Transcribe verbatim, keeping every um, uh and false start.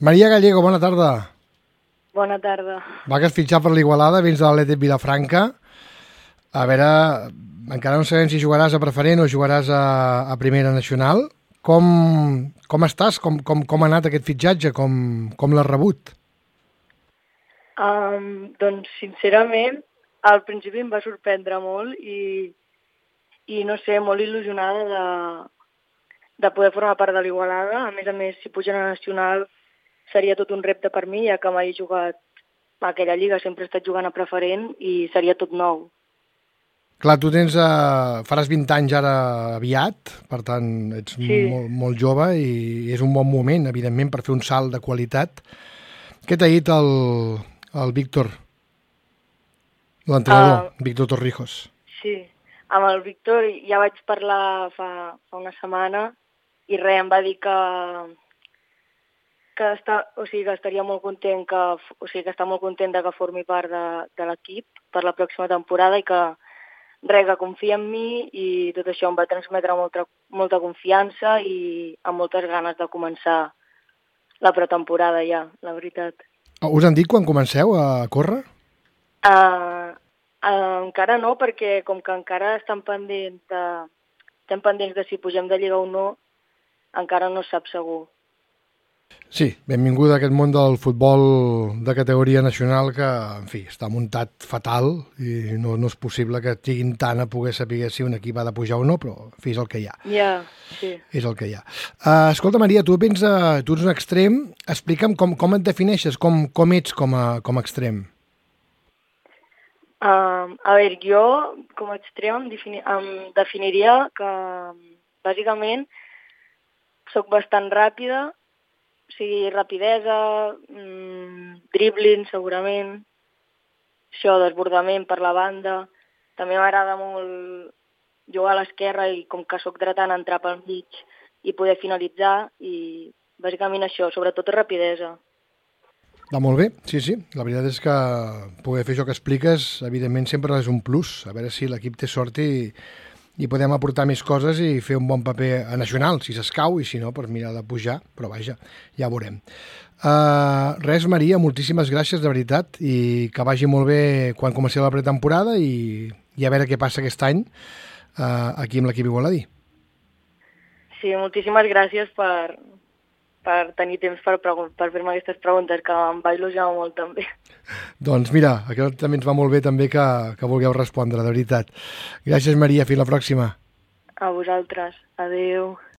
Maria Gallego, bona tarda. Bona tarda. Va, que has fitxat per l'Igualada, vens de l'Atlètic Vilafranca. A veure, encara no sabem si jugaràs a preferent o jugaràs a, a primera nacional. Com, com estàs? Com, com, com ha anat aquest fitxatge? Com, com l'has rebut? Um, doncs, sincerament, al principi em va sorprendre molt i, i no sé, molt il·lusionada de, de poder formar part de l'Igualada. A més a més, si pugen a nacional seria tot un repte per mi, ja que mai he jugat a aquella lliga, sempre he estat jugant a preferent i seria tot nou. Clar, tu tens, eh, faràs vint anys ara aviat, per tant, ets Sí. molt, molt jove i és un bon moment, evidentment, per fer un salt de qualitat. Què t'ha dit el, el Víctor, l'entrenador, Uh, Víctor Torrijos? sí, amb el Víctor ja vaig parlar fa, fa una setmana i res, em va dir que, que, està, o sigui, que estaria molt content que, o sigui, que està molt content de que formi part de, de l'equip per la pròxima temporada i que res, que confia en mi i tot això em va transmetre molta, molta confiança i amb moltes ganes de començar la pretemporada ja, la veritat. Us han dit quan comenceu a córrer? Uh, uh, encara no, perquè com que encara estan pendents de, estem pendents de si pugem de Lliga o no, encara no es sap segur. Sí, benvinguda a aquest món del futbol de categoria nacional que, en fi, està muntat fatal i no, no és possible que estiguin tant a poder saber si un equip ha de pujar o no, però, en fi, és el que hi ha. Ja, yeah, sí. És el que hi ha. Uh, escolta, Maria, tu, vens a, tu ets un extrem. Explica'm com, com et defineixes, com, com ets com a, com a extrem. Uh, a veure, jo com a extrem em, defini em definiria que, bàsicament, sóc bastant ràpida, o sigui, rapidesa, mmm, dribbling, segurament, això, desbordament per la banda. També m'agrada molt jugar a l'esquerra i com que sóc dretant entrar pel mig i poder finalitzar i bàsicament això, sobretot rapidesa. Va molt bé, sí, sí. La veritat és que poder fer això que expliques, evidentment, sempre és un plus. A veure si l'equip té sort i, i podem aportar més coses i fer un bon paper a nacional, si s'escau, i si no, per mirar de pujar, però vaja, ja ho veurem. Uh, res, Maria, moltíssimes gràcies, de veritat, i que vagi molt bé quan comenci la pretemporada i, i a veure què passa aquest any uh, aquí amb l'equip igualadí. Sí, moltíssimes gràcies per, per tenir temps per, per fer-me aquestes preguntes, que em va il·lusionar molt també. Doncs mira, aquest també ens va molt bé també que, que vulgueu respondre, de veritat. Gràcies, Maria, fins la pròxima. A vosaltres. Adéu.